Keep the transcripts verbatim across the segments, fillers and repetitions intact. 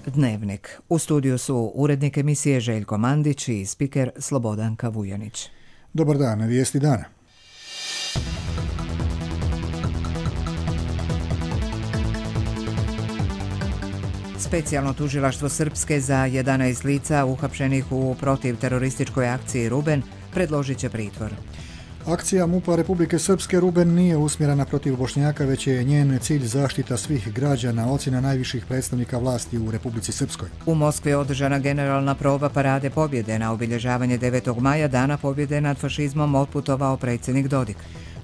Dnevnik. U studiju su urednik emisije Željko Mandić i spiker Slobodanka Vujanić. Dobar dan, vijesti dana. Specijalno tužilaštvo Srpske za jedanaest lica uhapšenih u protivterorističkoj akciji Ruben predložit će pritvor. Akcija MUP-a Republike Srpske Ruben nije usmjerena protiv Bošnjaka, već je njen cilj zaštita svih građana, ocjena najviših predstavnika vlasti u Republici Srpskoj. U Moskvi je održana generalna proba parade pobjede. Na obilježavanje devetog maja, dana pobjede nad fašizmom, otputovao predsjednik Dodik.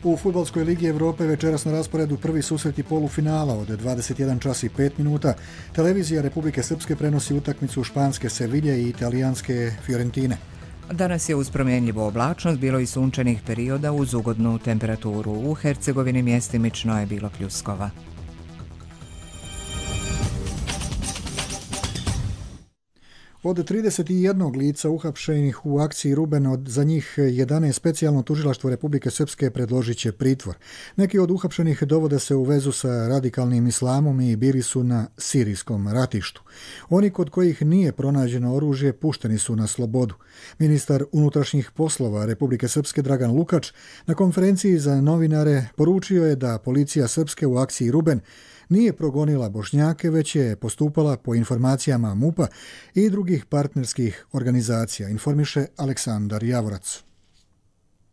U Fudbalskoj ligi Evrope večeras na rasporedu prvi susreti polufinala od dvadeset jedan čas i pet minuta. Televizija Republike Srpske prenosi utakmicu španske Sevilje i italijanske Fiorentine. Danas je uz promjenjivu oblačnost bilo i sunčanih perioda uz ugodnu temperaturu. U Hercegovini mjestimično je bilo pljuskova. Od trideset jednog lica uhapšenih u akciji Ruben, od za njih jedanaest specijalno tužilaštvo Republike Srpske predložit će pritvor. Neki od uhapšenih dovode se u vezu sa radikalnim islamom i bili su na sirijskom ratištu. Oni kod kojih nije pronađeno oružje pušteni su na slobodu. Ministar unutrašnjih poslova Republike Srpske Dragan Lukač na konferenciji za novinare poručio je da policija Srpske u akciji Ruben nije progonila Bošnjake, već je postupala po informacijama MUP-a i drugih partnerskih organizacija, informiše Aleksandar Javorac.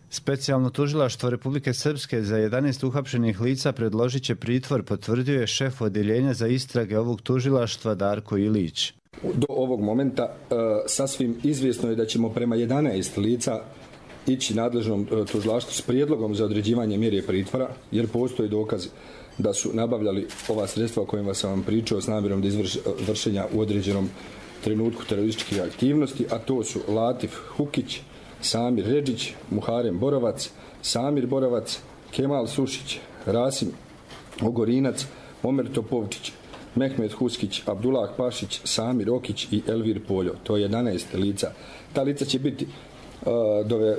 Specijalno tužilaštvo Republike Srpske za jedanaest uhapšenih lica predložit će pritvor, potvrdio je šef odjeljenja za istrage ovog tužilaštva Darko Ilić. Do ovog momenta e, sasvim izvjesno je da ćemo prema jedanaest lica ići nadležnom e, tužilaštvu s prijedlogom za određivanje mjere pritvora, jer postoji dokaz da su nabavljali ova sredstva o kojima sam vam pričao s namjerom da izvršenja u određenom trenutku terorističkih aktivnosti, a to su Latif Hukić, Samir Redžić, Muharem Borovac, Samir Borovac, Kemal Sušić, Rasim Ogorinac, Omer Topovčić, Mehmet Huskić, Abdullah Pašić, Samir Okić i Elvir Poljo. To je jedanaest lica. Ta lica će biti uh, dove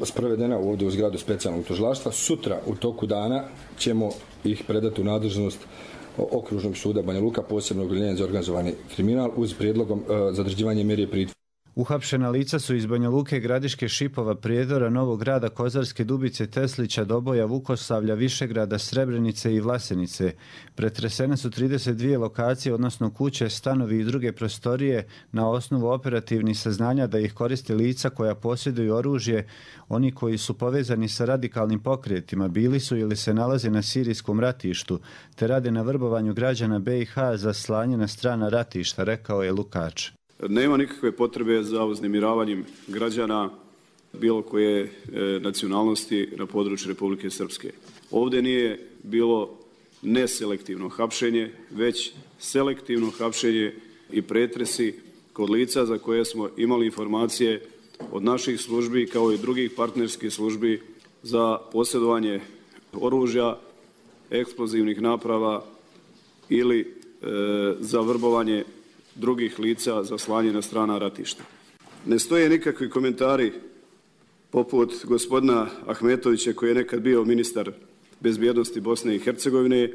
sprovedena ovdje u zgradu specijalnog tužilaštva. Sutra u toku dana ćemo ih predati u nadležnost Okružnog suda Banja Luka, posebnog odjeljenja za organizovani kriminal, uz prijedlogom uh, za određivanje mjere pritvora. Uhapšena lica su iz Banja Luke, Gradiške, Šipova, Prijedora, Novog Grada, Kozarske, Dubice, Teslića, Doboja, Vukosavlja, Višegrada, Srebrenice i Vlasenice. Pretresene su trideset dvije lokacije, odnosno kuće, stanovi i druge prostorije na osnovu operativnih saznanja da ih koriste lica koja posjeduju oružje, oni koji su povezani sa radikalnim pokretima, bili su ili se nalaze na sirijskom ratištu, te rade na vrbovanju građana be i ha za slanje na strana ratišta, rekao je Lukač. Nema nikakve potrebe za uznemiravanjem građana bilo koje e, nacionalnosti na području Republike Srpske. Ovdje nije bilo neselektivno hapšenje, već selektivno hapšenje i pretresi kod lica za koje smo imali informacije od naših službi kao i drugih partnerskih službi za posjedovanje oružja, eksplozivnih naprava ili e, za vrbovanje drugih lica za slanje na strana ratišta. Ne stoje nikakvi komentari poput gospodina Ahmetovića, koji je nekad bio ministar bezbjednosti Bosne i Hercegovine,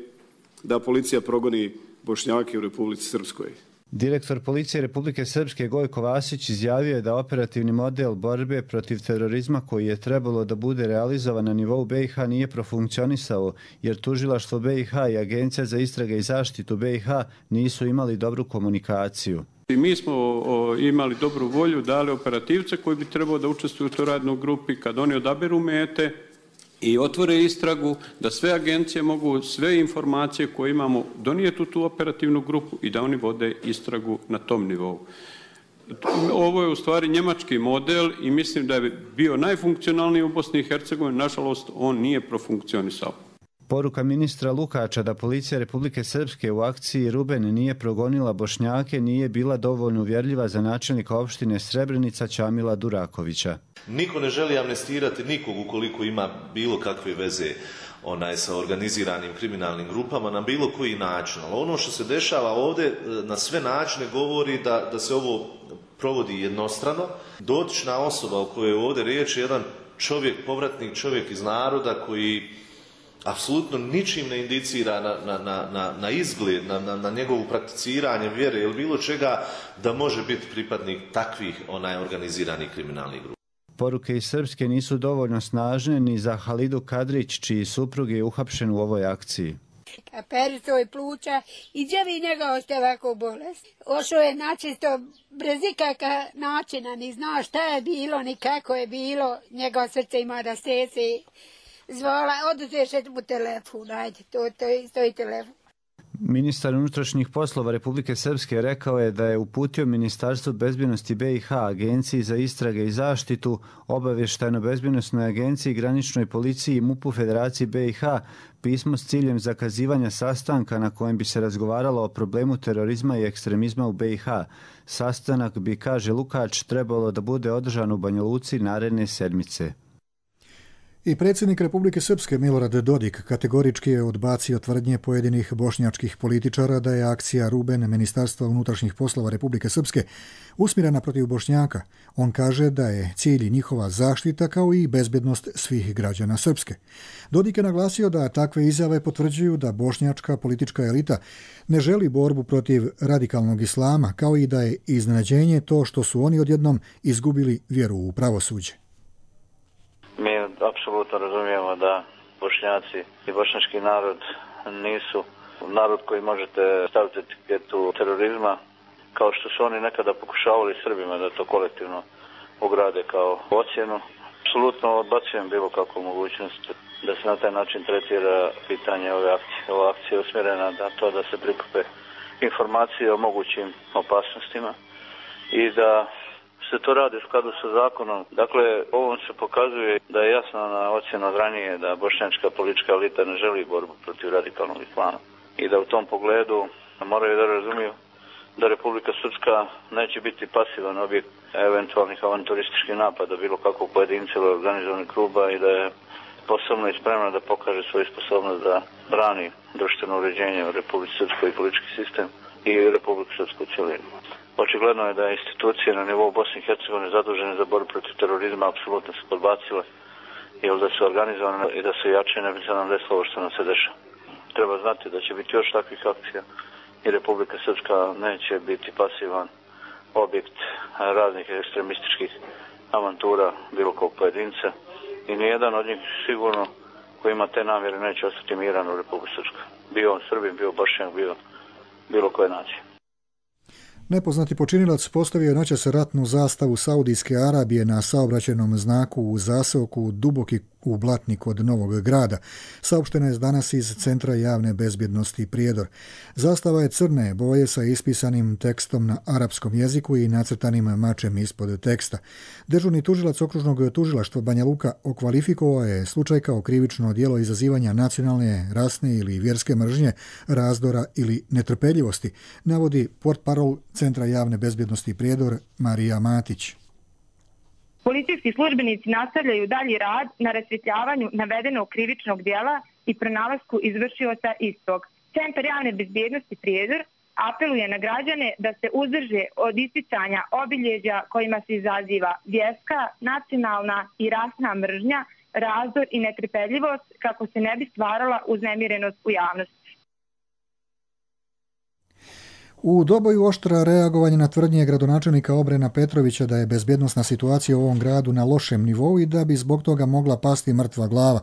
da policija progoni Bošnjake u Republici Srpskoj. Direktor policije Republike Srpske Gojko Vasić izjavio je da operativni model borbe protiv terorizma koji je trebalo da bude realizovan na nivou be i ha nije profunkcionisao, jer tužilaštvo be i ha i Agencija za istrage i zaštitu be i ha nisu imali dobru komunikaciju. I mi smo o, imali dobru volju, dali operativce koji bi trebao da učestvuju u toj radnoj grupi, kad oni odaberu mete i otvore istragu, da sve agencije mogu sve informacije koje imamo donijeti u tu operativnu grupu i da oni vode istragu na tom nivou. Ovo je u stvari njemački model i mislim da je bio najfunkcionalniji u Bosni i Hercegovini. Nažalost, on nije profunkcionisao. Poruka ministra Lukača da policija Republike Srpske u akciji Ruben nije progonila Bošnjake nije bila dovoljno uvjerljiva za načelnika opštine Srebrenica Čamila Durakovića. Niko ne želi amnestirati nikog ukoliko ima bilo kakve veze onaj sa organiziranim kriminalnim grupama na bilo koji način. Ali ono što se dešava ovdje na sve načine govori da, da se ovo provodi jednostrano. Dotična osoba o kojoj je ovdje riječ je jedan čovjek, povratnik čovjek iz naroda koji apsolutno ničim ne indicira na, na, na, na izgled, na, na, na njegovu prakticiranje vjere ili bilo čega da može biti pripadnik takvih onaj organiziranih kriminalnih grupa. Poruke iz Srpske nisu dovoljno snažne ni za Halidu Kadrić, čiji suprug je uhapšen u ovoj akciji. Peritoj pluća i gdje vi njega oste ovako bolest. Ošao je načisto bez ikakva načina, ni zna šta je bilo, ni kako je bilo. Njegov srce ima da sese. Zvala, oduzeše mu telefon, ajde, to, to stoji telefon. Ministar unutrašnjih poslova Republike Srpske rekao je da je uputio Ministarstvu bezbjednosti B i H, Agenciji za istrage i zaštitu, Obavještajno-bezbjednosnoj agenciji, Graničnoj policiji i MUP-u Federaciji B i H pismo s ciljem zakazivanja sastanka na kojem bi se razgovaralo o problemu terorizma i ekstremizma u B i H. Sastanak bi, kaže Lukač, trebalo da bude održan u Banja Luci naredne sedmice. I predsjednik Republike Srpske Milorad Dodik kategorički je odbacio tvrdnje pojedinih bošnjačkih političara da je akcija Ruben Ministarstva unutrašnjih poslova Republike Srpske usmjerena protiv Bošnjaka. On kaže da je cilj njihova zaštita kao i bezbjednost svih građana Srpske. Dodik je naglasio da takve izjave potvrđuju da bošnjačka politička elita ne želi borbu protiv radikalnog islama, kao i da je iznenađenje to što su oni odjednom izgubili vjeru u pravosuđe. Mi apsolutno razumijemo da Bošnjaci i bošnjački narod nisu narod koji možete staviti etiketu terorizma, kao što su oni nekada pokušavali Srbima da to kolektivno ugrade kao ocjenu. Apsolutno odbacujem bilo kakvu mogućnost da se na taj način tretira pitanje ove akcije. Ova akcija je usmjerena na to da se prikupe informacije o mogućim opasnostima i da se to radi u skladu sa zakonom. Dakle, ovom se pokazuje da je jasno na ocjenu od ranije da bošnjačka politička elita ne želi borbu protiv radikalnog islama i da u tom pogledu moraju da razumiju da Republika Srpska neće biti pasivan objekt eventualnih avanturističkih napada bilo kakvog pojedinca ili organizovanih kluba i da je sposobna i spremna da pokaže svoju sposobnost da brani društveno uređenje u Republici Srpskoj i politički sistem i Republiku Srpsku u cjelini. Očigledno je da institucije na nivou Bosne i Hercegovine zadužene za borbu protiv terorizma apsolutno se podbacile, jer da su organizovane i da su jače, ne bi se nam desilo ovo što nam se dešava. Treba znati da će biti još takvih akcija i Republika Srpska neće biti pasivan objekt raznih ekstremističkih avantura bilo kog pojedinca i nijedan od njih sigurno koji ima te namjere neće ostati miran u Republiku Srpsku. Bio on Srbin, bio Bošnjak, bio bilo koje nacije. Nepoznati počinilac postavio je noćas ratnu zastavu Saudijske Arabije na saobraćajnom znaku u zaseoku Duboki u Blatni kod Novog Grada. Saopšteno je danas iz Centra javne bezbjednosti Prijedor. Zastava je crne boje sa ispisanim tekstom na arapskom jeziku i nacrtanim mačem ispod teksta. Dežurni tužilac okružnog tužilaštva Banja Luka okvalifikovao je slučaj kao krivično djelo izazivanja nacionalne, rasne ili vjerske mržnje, razdora ili netrpeljivosti, navodi portparol Centra javne bezbjednosti Prijedor Marija Matić. Policijski službenici nastavljaju dalji rad na rasvjetljavanju navedenog krivičnog djela i pronalasku izvršioca istog. Centar javne bezbjednosti Prijedor apeluje na građane da se uzdrže od isticanja obilježja kojima se izaziva vjerska, nacionalna i rasna mržnja, razdor i netrpeljivost kako se ne bi stvarala uznemirenost u javnosti. U Doboju oštra reagovanje na tvrdnje gradonačelnika Obrena Petrovića da je bezbjednosna situacija u ovom gradu na lošem nivou i da bi zbog toga mogla pasti mrtva glava.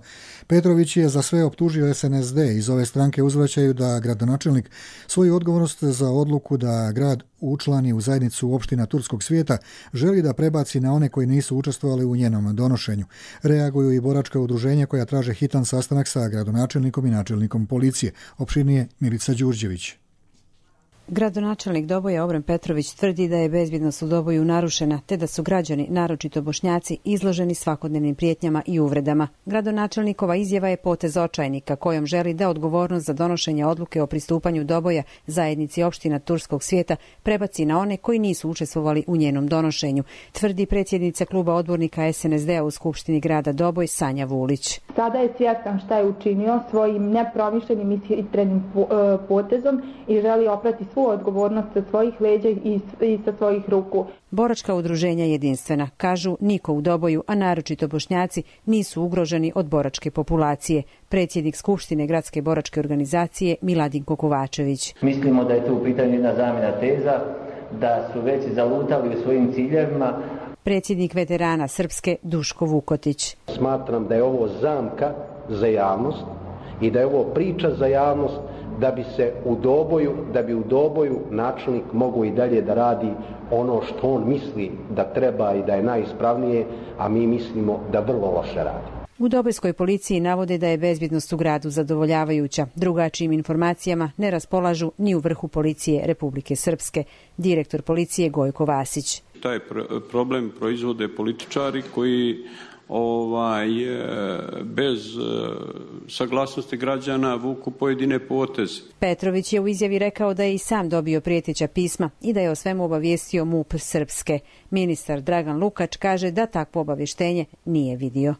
Petrović je za sve optužio S N S D. Iz ove stranke uzvraćaju da gradonačelnik svoju odgovornost za odluku da grad učlani u zajednicu opština Turskog svijeta želi da prebaci na one koji nisu učestvovali u njenom donošenju. Reaguju i boračka udruženja koja traže hitan sastanak sa gradonačelnikom i načelnikom policije. Opširnije Milica Đurđević. Gradonačelnik Doboja Obren Petrović tvrdi da je bezbjednost u Doboju narušena, te da su građani, naročito Bošnjaci, izloženi svakodnevnim prijetnjama i uvredama. Gradonačelnikova izjava je potez očajnika kojom želi da odgovornost za donošenje odluke o pristupanju Doboja zajednici opština Turskog svijeta prebaci na one koji nisu učestvovali u njenom donošenju, tvrdi predsjednica kluba odbornika S N S D-a u Skupštini grada Doboj Sanja Vulić. Sada je svjestan šta je učinio svojim nepromišljenim i hitrenim potezom i želi oprati svu odgovornost sa svojih leđa i, i sa svojih ruku. Boračka udruženja jedinstvena kažu niko u Doboju, a naročito Bošnjaci, nisu ugroženi od boračke populacije. Predsjednik Skupštine gradske boračke organizacije Miladinko Kovačević. Mislimo da je tu u pitanju jedna zamjena teza, da su već zalutali u svojim ciljevima. Predsjednik veterana Srpske Duško Vukotić. Smatram da je ovo zamka za javnost i da je ovo priča za javnost da bi se u Doboju, da bi u Doboju načelnik mogao i dalje da radi ono što on misli da treba i da je najispravnije, a mi mislimo da vrlo loše radi. U Dobojskoj policiji navode da je bezbjednost u gradu zadovoljavajuća. Drugačijim informacijama ne raspolažu ni u vrhu policije Republike Srpske. Direktor policije Gojko Vasić. Taj problem proizvode političari koji ovaj, bez saglasnosti građana vuku pojedine poteze. Petrović je u izjavi rekao da je i sam dobio prijeteća pisma i da je o svemu obavijestio MUP Srpske. Ministar Dragan Lukač kaže da takvo obavještenje nije vidio.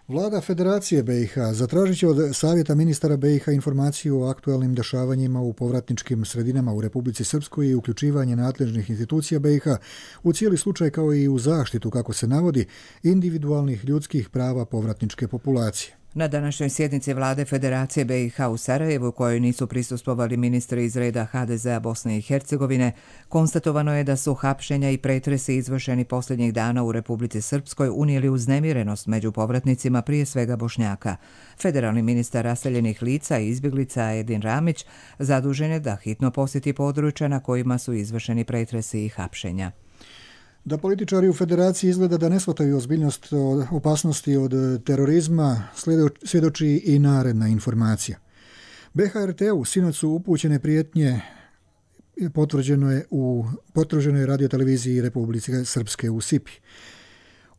Vlada Federacije B i H zatražit će od Savjeta ministara B i H informaciju o aktualnim dešavanjima u povratničkim sredinama u Republici Srpskoj i uključivanje nadležnih institucija B i H u cijeli slučaj kao i u zaštitu, kako se navodi, individualnih ljudskih prava povratničke populacije. Na današnjoj sjednici Vlade Federacije B i H u Sarajevu, kojoj nisu prisustvovali ministri iz reda H D Z-a Bosne i Hercegovine, konstatovano je da su hapšenja i pretresi izvršeni posljednjih dana u Republici Srpskoj unijeli uznemirenost među povratnicima, prije svega Bošnjaka. Federalni ministar raseljenih lica i izbjeglica Edin Ramić zadužen je da hitno posjeti područja na kojima su izvršeni pretresi i hapšenja. Da političari u Federaciji izgleda da ne shvataju ozbiljnost opasnosti od terorizma, svjedoči i naredna informacija. B H R T-u sinoć su upućene prijetnje, potvrđeno je u potvrđenoj radioteleviziji Republike Srpske u Sipi.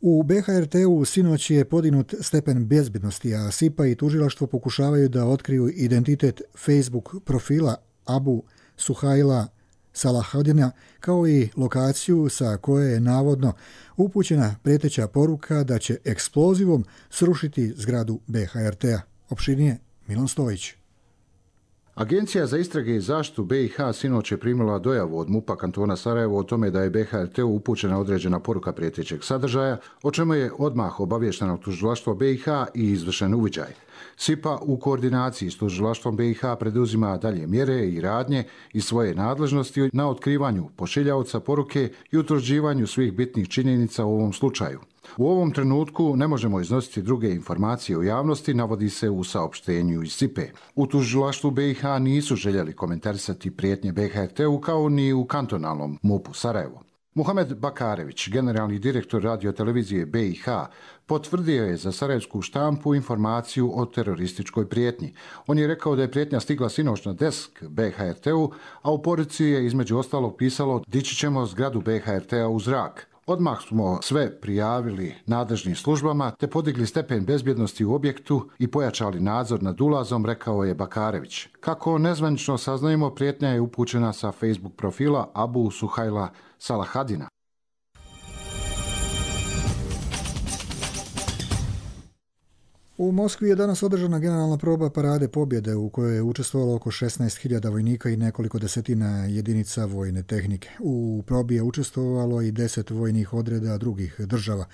U B H R T-u sinoć je podignut stepen bezbjednosti, a Sipa i tužilaštvo pokušavaju da otkriju identitet Facebook profila Abu Suhajla Salahadina, kao i lokaciju sa koje je navodno upućena prijeteća poruka da će eksplozivom srušiti zgradu B H R T-a. Opširnije Milan Stojić. Agencija za istrage i zaštitu B i H sinoć je primila dojavu od MUP-a kantona Sarajevo o tome da je B H R T-u upućena određena poruka prijetećeg sadržaja, o čemu je odmah obavješteno tužilaštvo B i H i izvršen uviđaj. Sipa u koordinaciji s tužilaštvom B i H preduzima dalje mjere i radnje iz svoje nadležnosti na otkrivanju pošiljaoca poruke i utvrđivanju svih bitnih činjenica u ovom slučaju. U ovom trenutku ne možemo iznositi druge informacije u javnosti, navodi se u saopštenju iz Sipe. U tužilaštvu B i H nisu željeli komentarisati prijetnje B H R T-u kao ni u kantonalnom MUP-u Sarajevo. Muhamed Bakarević, generalni direktor radiotelevizije B i H, potvrdio je za sarajevsku štampu informaciju o terorističkoj prijetnji. On je rekao da je prijetnja stigla sinoć na desk B H R T-u, a u poruci je između ostalog pisalo dići ćemo zgradu B H R T-a u zrak. Odmah smo sve prijavili nadležnim službama te podigli stepen bezbjednosti u objektu i pojačali nadzor nad ulazom, rekao je Bakarević. Kako nezvanično saznajemo, prijetnja je upućena sa Facebook profila Abu Suhajla Salahadina. U Moskvi je danas održana generalna proba parade pobjede u kojoj je učestvovalo oko šesnaest hiljada vojnika i nekoliko desetina jedinica vojne tehnike. U probi je učestvovalo i deset vojnih odreda drugih država: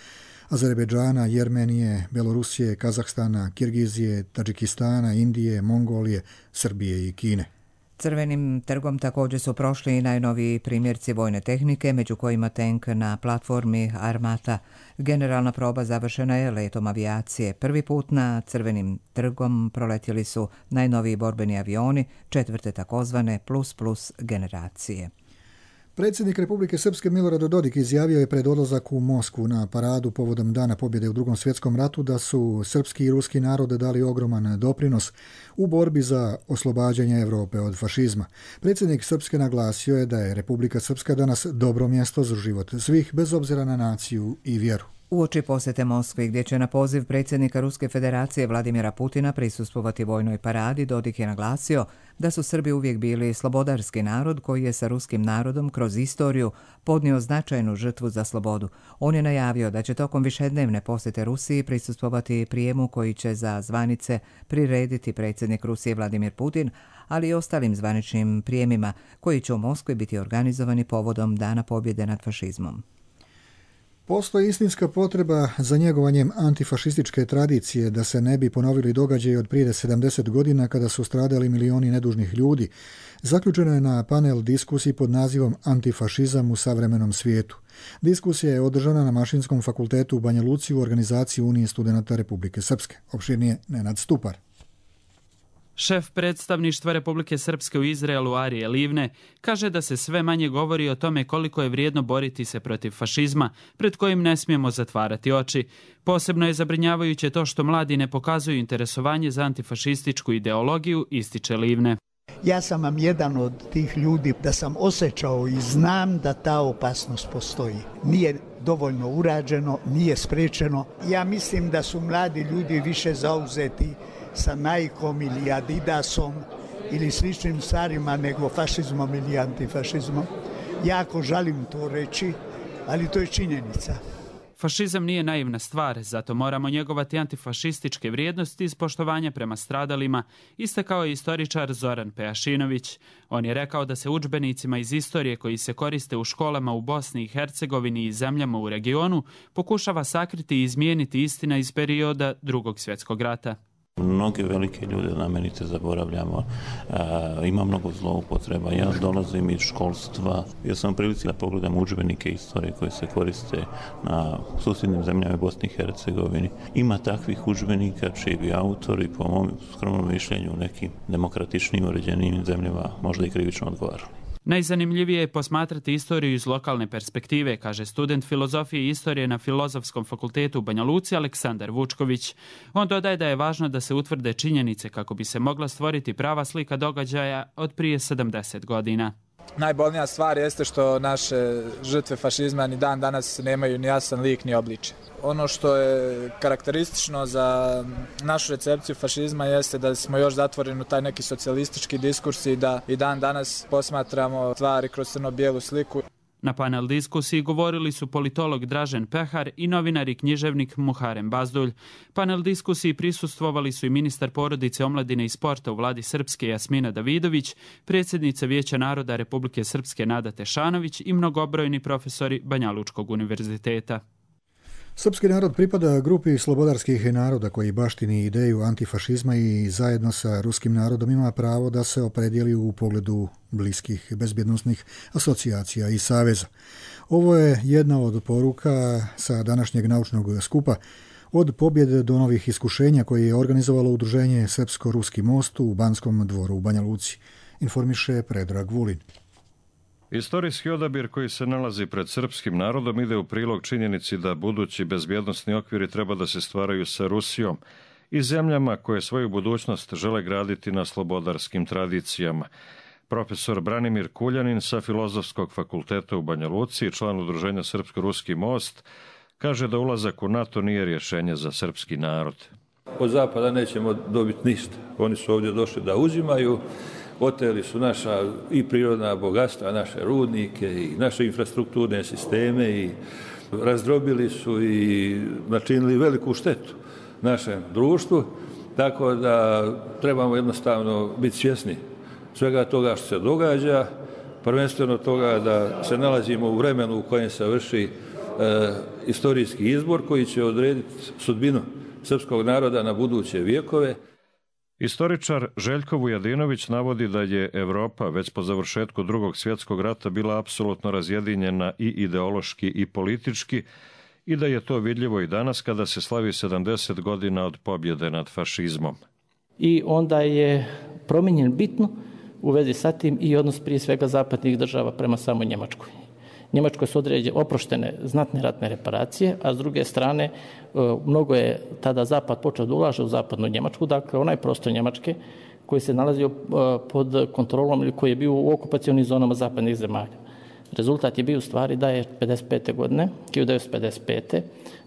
Azerbejdžana, Jermenije, Belorusije, Kazahstana, Kirgizije, Tadžikistana, Indije, Mongolije, Srbije i Kine. Crvenim trgom također su prošli i najnoviji primjerci vojne tehnike, među kojima tank na platformi Armata. Generalna proba završena je letom avijacije. Prvi put na Crvenim trgom proletjeli su najnoviji borbeni avioni, četvrte takozvane plus plus generacije. Predsjednik Republike Srpske Milorad Dodik izjavio je pred odlazak u Moskvu na paradu povodom Dana pobjede u Drugom svjetskom ratu da su srpski i ruski narode dali ogroman doprinos u borbi za oslobađanje Europe od fašizma. Predsjednik Srpske naglasio je da je Republika Srpska danas dobro mjesto za život svih, bez obzira na naciju i vjeru. Uoči posete Moskvi, gdje će na poziv predsjednika Ruske federacije Vladimira Putina prisustvovati vojnoj paradi, Dodik je naglasio da su Srbi uvijek bili slobodarski narod koji je sa ruskim narodom kroz istoriju podnio značajnu žrtvu za slobodu. On je najavio da će tokom višednevne posjete Rusiji prisustvovati prijemu koji će za zvanice prirediti predsjednik Rusije Vladimir Putin, ali i ostalim zvaničnim prijemima koji će u Moskvi biti organizovani povodom Dana pobjede nad fašizmom. Postoji istinska potreba za njegovanjem antifašističke tradicije da se ne bi ponovili događaji od prije sedamdeset godina kada su stradali milioni nedužnih ljudi. Zaključeno je na panel diskusiji pod nazivom Antifašizam u savremenom svijetu. Diskusija je održana na Mašinskom fakultetu u Banja Luci u organizaciji Unije studenata Republike Srpske. Opširnije Nenad Stupar. Šef predstavništva Republike Srpske u Izraelu Arije Livne kaže da se sve manje govori o tome koliko je vrijedno boriti se protiv fašizma, pred kojim ne smijemo zatvarati oči. Posebno je zabrinjavajuće to što mladi ne pokazuju interesovanje za antifašističku ideologiju, ističe Livne. Ja sam vam jedan od tih ljudi da sam osjećao i znam da ta opasnost postoji. Nije dovoljno urađeno, nije sprečeno. Ja mislim da su mladi ljudi više zauzeti sa Nikeom ili Adidasom ili sličnim stvarima nego fašizmom ili antifašizmom. Jako želim to reći, ali to je činjenica. Fašizam nije naivna stvar, zato moramo njegovati antifašističke vrijednosti iz poštovanja prema stradalima, istakao je istoričar Zoran Pejašinović. On je rekao da se udžbenicima iz istorije koji se koriste u školama u Bosni i Hercegovini i zemljama u regionu pokušava sakriti i izmijeniti istina iz perioda Drugog svjetskog rata. Mnoge velike ljude namenite zaboravljamo, e, ima mnogo zloupotreba. Ja dolazim iz školstva, ja sam u prilici da pogledam udžbenike istorije koje se koriste na susjednim zemljama Bosni i Hercegovini. Ima takvih udžbenika čiji bi autori, po mom skromnom mišljenju, u nekim demokratičnim uređenim zemljama možda i krivično odgovarali. Najzanimljivije je posmatrati istoriju iz lokalne perspektive, kaže student filozofije i istorije na Filozofskom fakultetu u Banja Luci Aleksandar Vučković. On dodaje da je važno da se utvrde činjenice kako bi se mogla stvoriti prava slika događaja od prije sedamdeset godina. Najbolnija stvar jeste što naše žrtve fašizma ni dan danas nemaju ni jasan lik ni obličje. Ono što je karakteristično za našu recepciju fašizma jeste da smo još zatvoreni u taj neki socijalistički diskurs i da i dan danas posmatramo stvari kroz crno-bijelu sliku. Na panel diskusiji govorili su politolog Dražen Pehar i novinar i književnik Muharem Bazdulj. Panel diskusiji prisustvovali su i ministar porodice, omladine i sporta u vladi Srpske Jasmina Davidović, predsjednica Vijeća naroda Republike Srpske Nada Tešanović i mnogobrojni profesori Banjalučkog univerziteta. Srpski narod pripada grupi slobodarskih naroda koji baštini ideju antifašizma i zajedno sa ruskim narodom ima pravo da se opredijeli u pogledu bliskih bezbjednosnih asocijacija i saveza. Ovo je jedna od poruka sa današnjeg naučnog skupa od pobjede do novih iskušenja koje je organizovalo udruženje Srpsko-Ruski most u Banskom dvoru u Banja Luci, informiše Predrag Vulin. Istorijski odabir koji se nalazi pred srpskim narodom ide u prilog činjenici da budući bezbjednosni okviri treba da se stvaraju sa Rusijom i zemljama koje svoju budućnost žele graditi na slobodarskim tradicijama. Profesor Branimir Kuljanin sa Filozofskog fakulteta u Banja Luci, član udruženja Srpsko-Ruski most, kaže da ulazak u NATO nije rješenje za srpski narod. Od Zapada nećemo dobiti ništa. Oni su ovdje došli da uzimaju, oteli su naša i prirodna bogatstva, naše rudnike i naše infrastrukturne sisteme i razdrobili su i načinili veliku štetu našem društvu, tako da trebamo jednostavno biti svjesni svega toga što se događa, prvenstveno toga da se nalazimo u vremenu u kojem se vrši e, istorijski izbor koji će odrediti sudbinu srpskog naroda na buduće vijekove. Istoričar Željko Vujadinović navodi da je Evropa već po završetku Drugog svjetskog rata bila apsolutno razjedinjena i ideološki i politički i da je to vidljivo i danas kada se slavi sedamdeset godina od pobjede nad fašizmom. I onda je promijenjen bitno u vezi sa tim i odnos prije svega zapadnih država prema samoj Njemačkoj. Njemačkoj su određene oproštene znatne ratne reparacije, a s druge strane mnogo je tada Zapad počeo da ulaže u zapadnu Njemačku, dakle onaj prostor Njemačke koji se nalazio pod kontrolom ili koji je bio u okupacionim zonama zapadnih zemalja. Rezultat je bio u stvari da je pedeset pete godine, hiljadu devetsto pedeset pete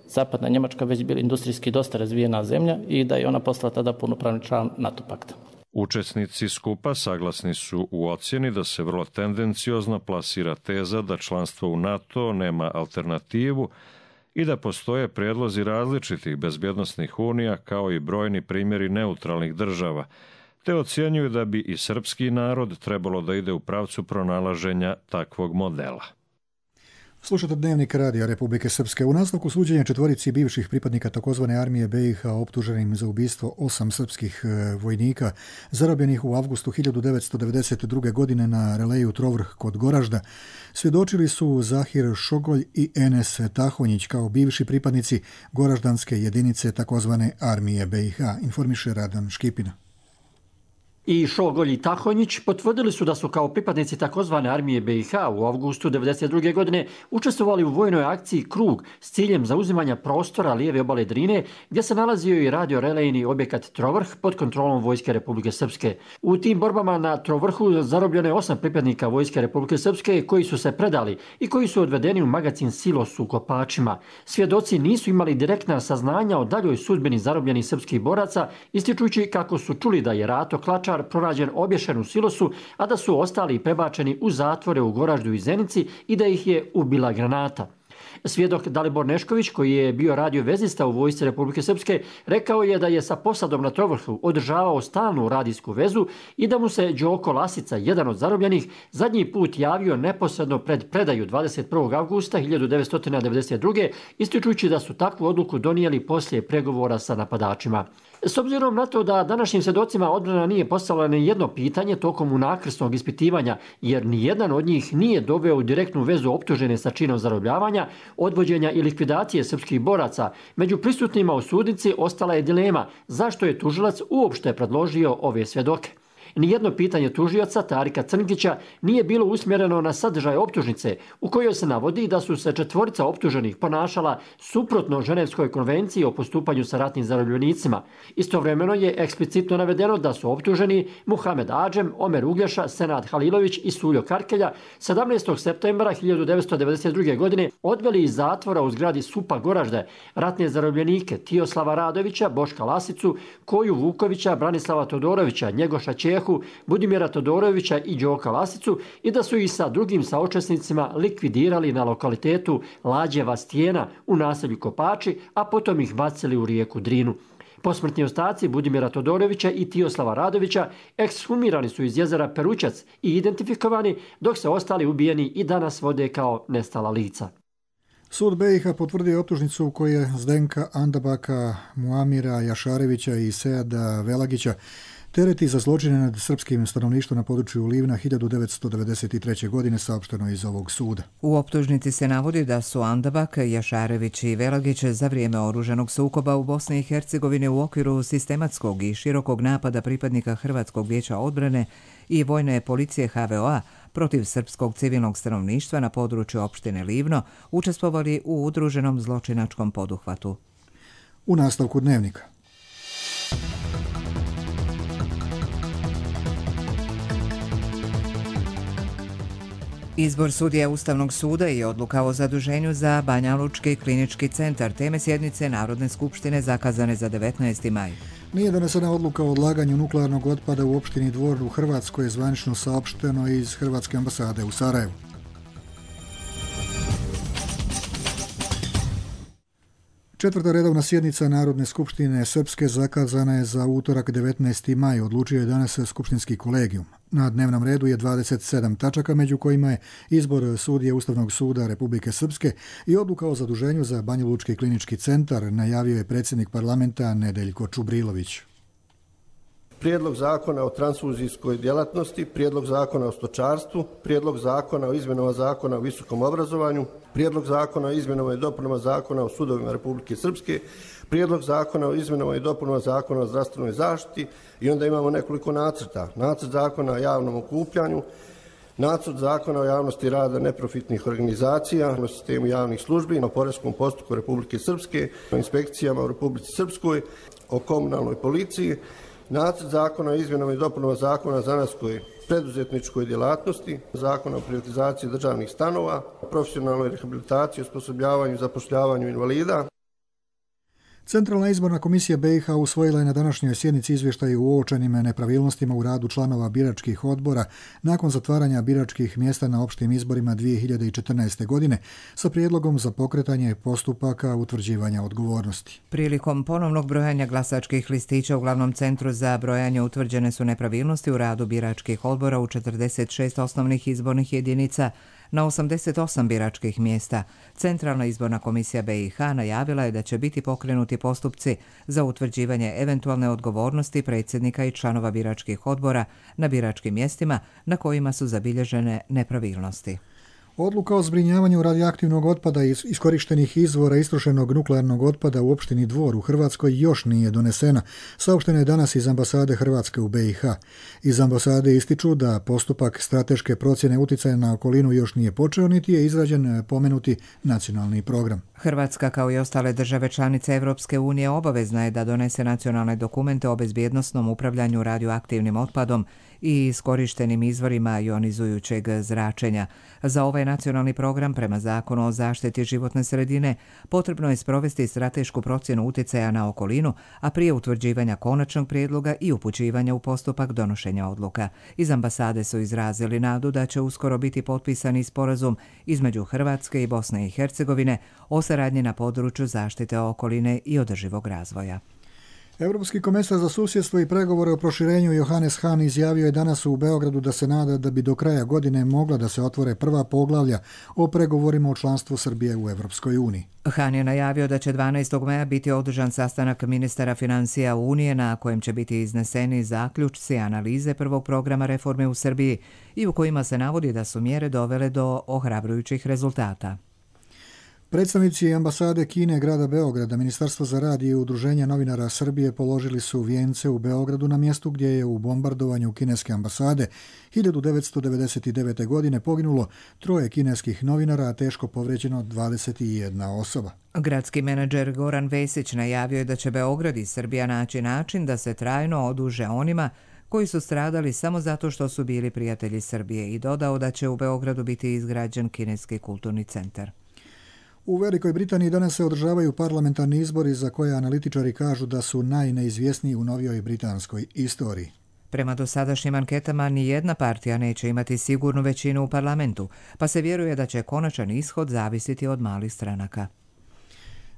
zapadna Njemačka već bila industrijski dosta razvijena zemlja i da je ona postala tada punopravni član NATO pakta. Učesnici skupa saglasni su u ocjeni da se vrlo tendenciozno plasira teza da članstvo u NATO nema alternativu i da postoje prijedlozi različitih bezbjednosnih unija kao i brojni primjeri neutralnih država, te ocjenjuju da bi i srpski narod trebalo da ide u pravcu pronalaženja takvog modela. Slušate Dnevnik radija Republike Srpske. U nastavku suđenja četvorici bivših pripadnika takozvane armije B i H optuženim za ubistvo osam srpskih vojnika zarobljenih u avgustu hiljadu devetsto devedeset druge. godine na releju Trovrh kod Goražda, svjedočili su Zahir Šogolj i Enes Tahonjić kao bivši pripadnici goraždanske jedinice takozvane armije B i H, informiše Radan Škipina. I Šogolj i Tahonjić potvrdili su da su kao pripadnici takozvane armije B i H u avgustu devedeset druge. godine učestvovali u vojnoj akciji Krug s ciljem zauzimanja prostora lijeve obale Drine, gdje se nalazio i radiorelejni objekat Trovrh pod kontrolom Vojske Republike Srpske. U tim borbama na Trovrhu zarobljeno je osam pripadnika Vojske Republike Srpske koji su se predali i koji su odvedeni u magacin Silos u Kopačima. Svjedoci nisu imali direktna saznanja o daljoj sudbini zarobljenih srpskih boraca, ističući kako su čuli da je Rato Klačar pronađen obješen u silosu, a da su ostali prebačeni u zatvore u Goraždu i Zenici i da ih je ubila granata. Svjedok Dalibor Nešković, koji je bio radiovezista u Vojsci Republike Srpske, rekao je da je sa posadom na Trovrhu održavao stalnu radijsku vezu i da mu se Đoko Lasica, jedan od zarobljenih, zadnji put javio neposredno pred predaju dvadeset prvog avgusta hiljadu devetsto devedeset druge. ističujući da su takvu odluku donijeli poslije pregovora sa napadačima. S obzirom na to da današnjim svjedocima odbrana nije postavila ni jedno pitanje tokom unakrsnog ispitivanja, jer ni jedan od njih nije doveo u direktnu vezu optužene sa činom zarobljavanja, odvođenja i likvidacije srpskih boraca, među prisutnima u sudnici ostala je dilema zašto je tužilac uopšte predložio ove svjedoke. Nijedno pitanje tužioca Tarika Crnkića nije bilo usmjereno na sadržaj optužnice, u kojoj se navodi da su se četvorica optuženih ponašala suprotno Ženevskoj konvenciji o postupanju sa ratnim zarobljenicima. Istovremeno je eksplicitno navedeno da su optuženi Muhamed Adžem, Omer Uglješa, Senad Halilović i Suljo Karkelja sedamnaestog septembra hiljadu devetsto devedeset druge. godine odveli iz zatvora u zgradi Supa Goražde ratne zarobljenike Tijoslava Radovića, Boška Lasicu, Koju Vukovića, Branislava Todorovića, Njegoša Čehu, Budimira Todorovića i Đoka Lasicu i da su ih sa drugim saučesnicima likvidirali na lokalitetu Lađeva Stijena u naselju Kopači, a potom ih bacili u rijeku Drinu. Posmrtni ostaci Budimira Todorovića i Tijoslava Radovića ekshumirani su iz jezera Perućac i identifikovani, dok se ostali ubijeni i danas vode kao nestala lica. Sud B i H potvrdio optužnicu u kojoj je Zdenka Andabaka, Muamira Jašarevića i Seada Velagića tereti za zločine nad srpskim stanovništvom na području Livna hiljadu devetsto devedeset treće. godine, saopšteno iz ovog suda. U optužnici se navodi da su Andabak, Jašarević i Velagić za vrijeme oružanog sukoba u Bosni i Hercegovini u okviru sistematskog i širokog napada pripadnika Hrvatskog vijeća odbrane i vojne policije H V O A protiv srpskog civilnog stanovništva na području opštine Livno učestvovali u udruženom zločinačkom poduhvatu. U nastavku Dnevnika. Izbor sudija Ustavnog suda i odluka o zaduženju za Banjalučki klinički centar, teme sjednice Narodne skupštine zakazane za devetnaesti maj. Nije donesena odluka o odlaganju nuklearnog otpada u opštini Dvor u Hrvatskoj, je zvanično saopšteno iz Hrvatske ambasade u Sarajevu. Četvrta redovna sjednica Narodne skupštine Srpske zakazana je za utorak devetnaesti maj, odlučio je danas skupštinski kolegijum. Na dnevnom redu je dvadeset sedam tačaka, među kojima je izbor sudije Ustavnog suda Republike Srpske i odluka o zaduženju za Banjalučki klinički centar, najavio je predsjednik parlamenta Nedeljko Čubrilović. Prijedlog zakona o transfuzijskoj djelatnosti, prijedlog zakona o stočarstvu, prijedlog zakona o izmjenama zakona o visokom obrazovanju, prijedlog zakona o izmjenama i dopunama zakona o sudovima Republike Srpske, prijedlog zakona o izmjenama i dopunama zakona o zdravstvenoj zaštiti i onda imamo nekoliko nacrta. Nacrt zakona o javnom okupljanju, nacrt zakona o javnosti rada neprofitnih organizacija, o sistemu javnih službi, o poreskom postupku Republike Srpske, o inspekcijama u Republici Srpskoj, o komunalnoj policiji, nacrt zakona o izmjenama i dopunama zakona o zanatskoj preduzetničkoj djelatnosti, Zakona o privatizaciji državnih stanova, profesionalnoj rehabilitaciji, osposobljavanju i zapošljavanju invalida. Centralna izborna komisija B i H usvojila je na današnjoj sjednici izvještaj o uočenim nepravilnostima u radu članova biračkih odbora nakon zatvaranja biračkih mjesta na opštim izborima dvije hiljade četrnaeste. godine sa prijedlogom za pokretanje postupaka utvrđivanja odgovornosti. Prilikom ponovnog brojanja glasačkih listića u glavnom centru za brojanje utvrđene su nepravilnosti u radu biračkih odbora u četrdeset šest osnovnih izbornih jedinica na osamdeset osam biračkih mjesta. Centralna izborna komisija B i H najavila je da će biti pokrenuti postupci za utvrđivanje eventualne odgovornosti predsjednika i članova biračkih odbora na biračkim mjestima na kojima su zabilježene nepravilnosti. Odluka o zbrinjavanju radioaktivnog otpada iz iskorištenih izvora istrošenog nuklearnog otpada u opštini Dvor u Hrvatskoj još nije donesena, saopšteno je danas iz ambasade Hrvatske u B i H. Iz ambasade ističu da postupak strateške procjene uticaja na okolinu još nije počeo, niti je izrađen pomenuti nacionalni program. Hrvatska, kao i ostale države članice Evropske unije, obavezna je da donese nacionalne dokumente o bezbjednosnom upravljanju radioaktivnim otpadom i iskorištenim izvorima ionizujućeg zračenja. Za ovaj nacionalni program, prema Zakonu o zaštiti životne sredine, potrebno je sprovesti stratešku procjenu uticaja na okolinu, a prije utvrđivanja konačnog prijedloga i upućivanja u postupak donošenja odluka. Iz ambasade su izrazili nadu da će uskoro biti potpisani sporazum između Hrvatske i Bosne i Hercegovine o saradnji na području zaštite okoline i održivog razvoja. Europski komesar za susjedstvo i pregovore o proširenju Johannes Hahn izjavio je danas u Beogradu da se nada da bi do kraja godine mogla da se otvore prva poglavlja o pregovorima o članstvu Srbije u Evropskoj uniji. Hahn je najavio da će dvanaestog maja biti održan sastanak ministara financija Unije na kojem će biti izneseni zaključci analize prvog programa reforme u Srbiji i u kojima se navodi da su mjere dovele do ohrabrujućih rezultata. Predstavnici ambasade Kine, grada Beograda, Ministarstva za rad i Udruženja novinara Srbije položili su vijence u Beogradu na mjestu gdje je u bombardovanju kineske ambasade hiljadu devetsto devedeset devete. godine poginulo troje kineskih novinara, a teško povrijeđeno dvadeset jedna osoba. Gradski menadžer Goran Vesić najavio je da će Beograd i Srbija naći način da se trajno oduže onima koji su stradali samo zato što su bili prijatelji Srbije i dodao da će u Beogradu biti izgrađen kineski kulturni centar. U Velikoj Britaniji danas se održavaju parlamentarni izbori za koje analitičari kažu da su najneizvjesniji u novijoj britanskoj istoriji. Prema dosadašnjim anketama, ni jedna partija neće imati sigurnu većinu u parlamentu, pa se vjeruje da će konačan ishod zavisiti od malih stranaka.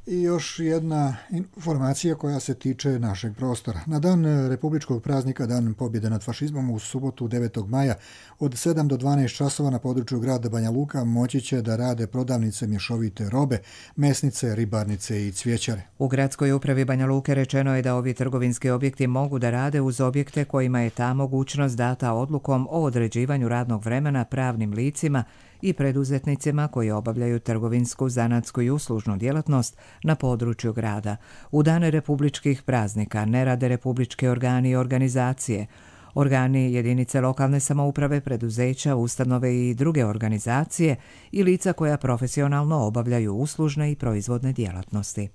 I još jedna informacija koja se tiče našeg prostora. Na dan republičkog praznika, Dan pobjede nad fašizmom, u subotu devetog maja od sedam do dvanaest časova na području grada Banja Luka moći će da rade prodavnice mješovite robe, mesnice, ribarnice i cvijećare. U gradskoj upravi Banja Luke rečeno je da ovi trgovinski objekti mogu da rade uz objekte kojima je ta mogućnost data odlukom o određivanju radnog vremena pravnim licima i preduzetnicima koji obavljaju trgovinsku, zanatsku i uslužnu djelatnost na području grada. U dane republičkih praznika ne rade republičke organi i organizacije, organi jedinice lokalne samouprave, preduzeća, ustanove i druge organizacije i lica koja profesionalno obavljaju uslužne i proizvodne djelatnosti.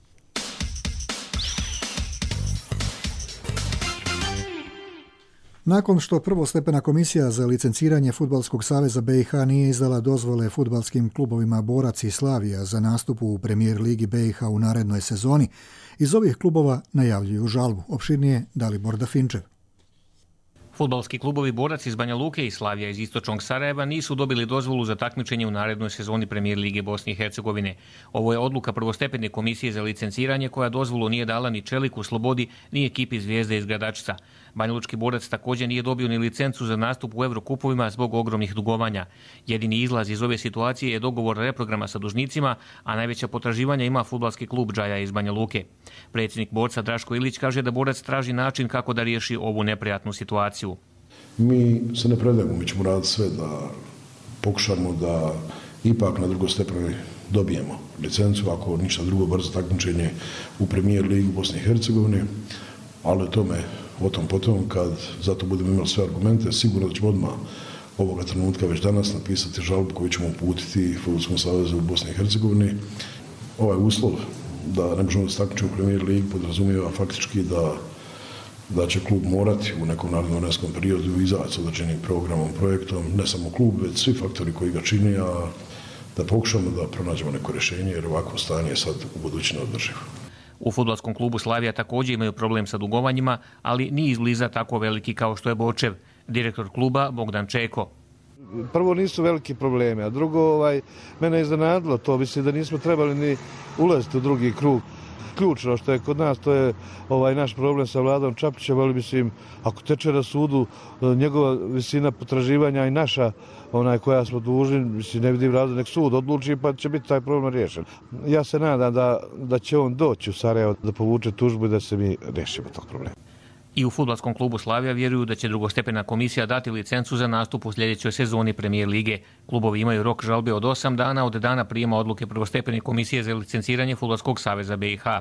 Nakon što prvostepena komisija za licenciranje Fudbalskog saveza B i H nije izdala dozvole fudbalskim klubovima Borac i Slavija za nastup u Premijer ligi B i H u narednoj sezoni, iz ovih klubova najavljuju žalbu. Opširnije Dalibor Dafinčev. Fudbalski klubovi Borac iz Banja Luke i Slavija iz istočnog Sarajeva nisu dobili dozvolu za takmičenje u narednoj sezoni Premijer lige Bosne i Hercegovine. Ovo je odluka prvostepene komisije za licenciranje koja dozvolu nije dala ni Čeliku Slobodi ni ekipi Zvijezde iz Gradačca. Banjalučki Borac također nije dobio ni licencu za nastup u Evrokupovima zbog ogromnih dugovanja. Jedini izlaz iz ove situacije je dogovor reprograma sa dužnicima, a najveća potraživanja ima fudbalski klub Džaja iz Banja Luke. Predsjednik Borca Draško Ilić kaže da Borac traži način kako da riješi ovu neprijatnu situaciju. Mi se ne predajemo, mi ćemo raditi sve da pokušamo da ipak na drugostepenoj dobijemo licencu, ako ništa drugo, brzo takmičenje u Premijer ligi Bosne i Hercegovine, ali o tome, o tom potom, kad zato budemo imali sve argumente, sigurno da ćemo odmah ovoga trenutka već danas napisati žalbu koju ćemo uputiti Fudbalskom savezu u Bosni i Hercegovini. Ovaj uslov da ne možemo da se takmičimo u Premijer ligi podrazumijeva faktički da da će klub morati u nekom narednom vremenskom periodu izaći s određenim programom, projektom, ne samo klub, već svi faktori koji ga čini, a da pokušamo da pronađemo neko rješenje, jer ovako stanje je sad u budući neodrživo. U fudbalskom klubu Slavija također imaju problem sa dugovanjima, ali nije izbliza tako veliki kao što je Bočev. Direktor kluba Bogdan Čeko. Prvo nisu veliki problemi, a drugo, ovaj, mene je iznenadilo to, mislim da nismo trebali ni ulaziti u drugi krug. Ključno što je kod nas, to je ovaj naš problem sa Vladom Čapićem, ali mislim, ako teče na sudu njegova visina potraživanja i naša, onaj koja smo dužni, mislim, ne vidim razlog, nek sud odluči pa će biti taj problem riješen. Ja se nadam da, da će on doći u Sarajevo da povuče tužbu i da se mi rešimo tog problema. I u fudbalskom klubu Slavija vjeruju da će drugostepena komisija dati licencu za nastup u sljedećoj sezoni Premijer lige. Klubovi imaju rok žalbe od osam dana od dana prijema odluke prvostepene komisije za licenciranje Fudbalskog saveza B i H.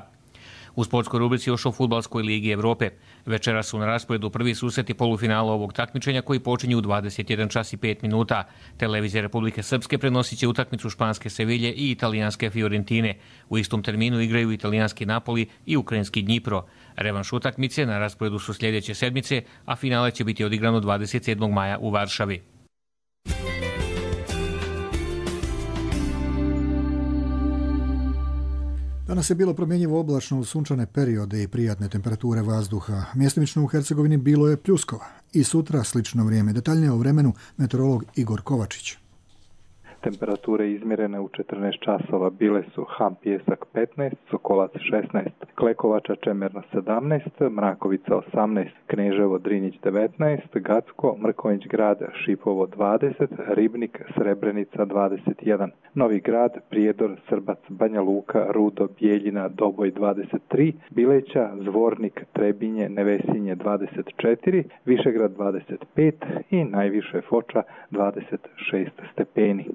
U sportskoj rubrici još o Fudbalskoj ligi Evrope. Večera su na rasporedu prvi susreti polufinala ovog takmičenja koji počinju u dvadeset jedan čas i pet minuta. Televizija Republike Srpske prenosit će utakmicu španske Sevilje i italijanske Fiorentine. U istom terminu igraju italijanski Napoli i ukrajinski Dnjipro. Revanš utakmice na rasporedu su sljedeće sedmice, a finale će biti odigrano dvadeset sedmog maja u Varšavi. Danas je bilo promjenjivo oblačno uz sunčane periode i prijatne temperature vazduha. Mjestimično u Hercegovini bilo je pljuskova. I sutra slično vrijeme. Detaljnije o vremenu meteorolog Igor Kovačić. Temperature izmjerene u četrnaest časova bile su Ham Pijesak petnaest, Sokolac šesnaest, Klekovača Čemerna sedamnaest, Mrakovica osamnaest, Kneževo Drinjić devetnaest, Gacko, Mrkonjić grad, Šipovo dvadeset, Ribnik, Srebrenica dvadeset jedan, Novi grad, Prijedor, Srbac, Banja Luka, Rudo, Bijeljina, Doboj dvadeset tri, Bileća, Zvornik, Trebinje, Nevesinje dvadeset četiri, Višegrad dvadeset pet i najviše Foča dvadeset šest stepeni.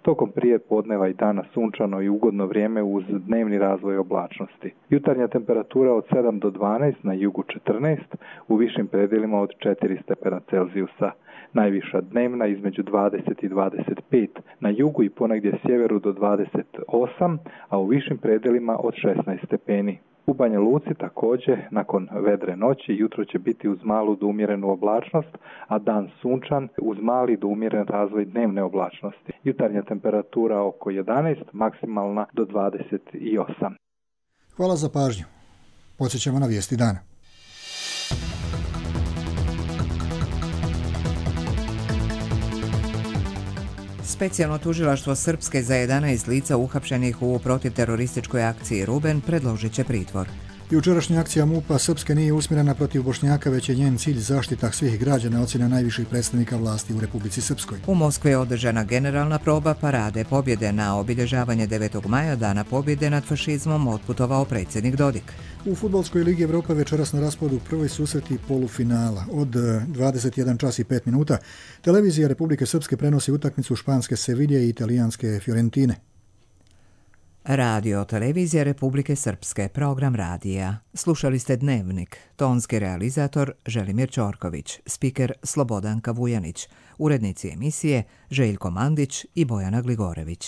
Tokom prije podneva i dana sunčano i ugodno vrijeme uz dnevni razvoj oblačnosti. Jutarnja temperatura od sedam do dvanaest, na jugu četrnaest, u višim predjelima od četiri stepena Celzijusa. Najviša dnevna između dvadeset i dvadeset pet, na jugu i ponegdje sjeveru do dvadeset osam, a u višim predjelima od šesnaest stepeni. U Banja Luci također, nakon vedre noći, jutro će biti uz malu do umjerenu oblačnost, a dan sunčan uz mali do umjeren razvoj dnevne oblačnosti. Jutarnja temperatura oko jedanaest, maksimalna do dvadeset osam. Hvala za pažnju. Podsjećamo na vijesti dana. Specijalno tužilaštvo Srpske za jedanaest lica uhapšenih u protiterorističkoj akciji Ruben predložit će pritvor. Jučerašnja akcija MUP-a Srpske nije usmjerena protiv Bošnjaka, već je njen cilj zaštita svih građana, ocjena najviših predstavnika vlasti u Republici Srpskoj. U Moskvi je održana generalna proba parade pobjede. Na obilježavanje devetog maja, dana pobjede nad fašizmom, otputovao predsjednik Dodik. U Fudbalskoj ligi Evrope večeras na rasporedu prvi susreti polufinala. Od dvadeset jedan čas i pet minuta televizija Republike Srpske prenosi utakmicu španske Sevilje i italijanske Fiorentine. Radio televizija Republike Srpske, program radija. Slušali ste Dnevnik. Tonski realizator Želimir Ćorković, spiker Slobodanka Vujanić, urednici emisije Željko Mandić i Bojana Gligorević.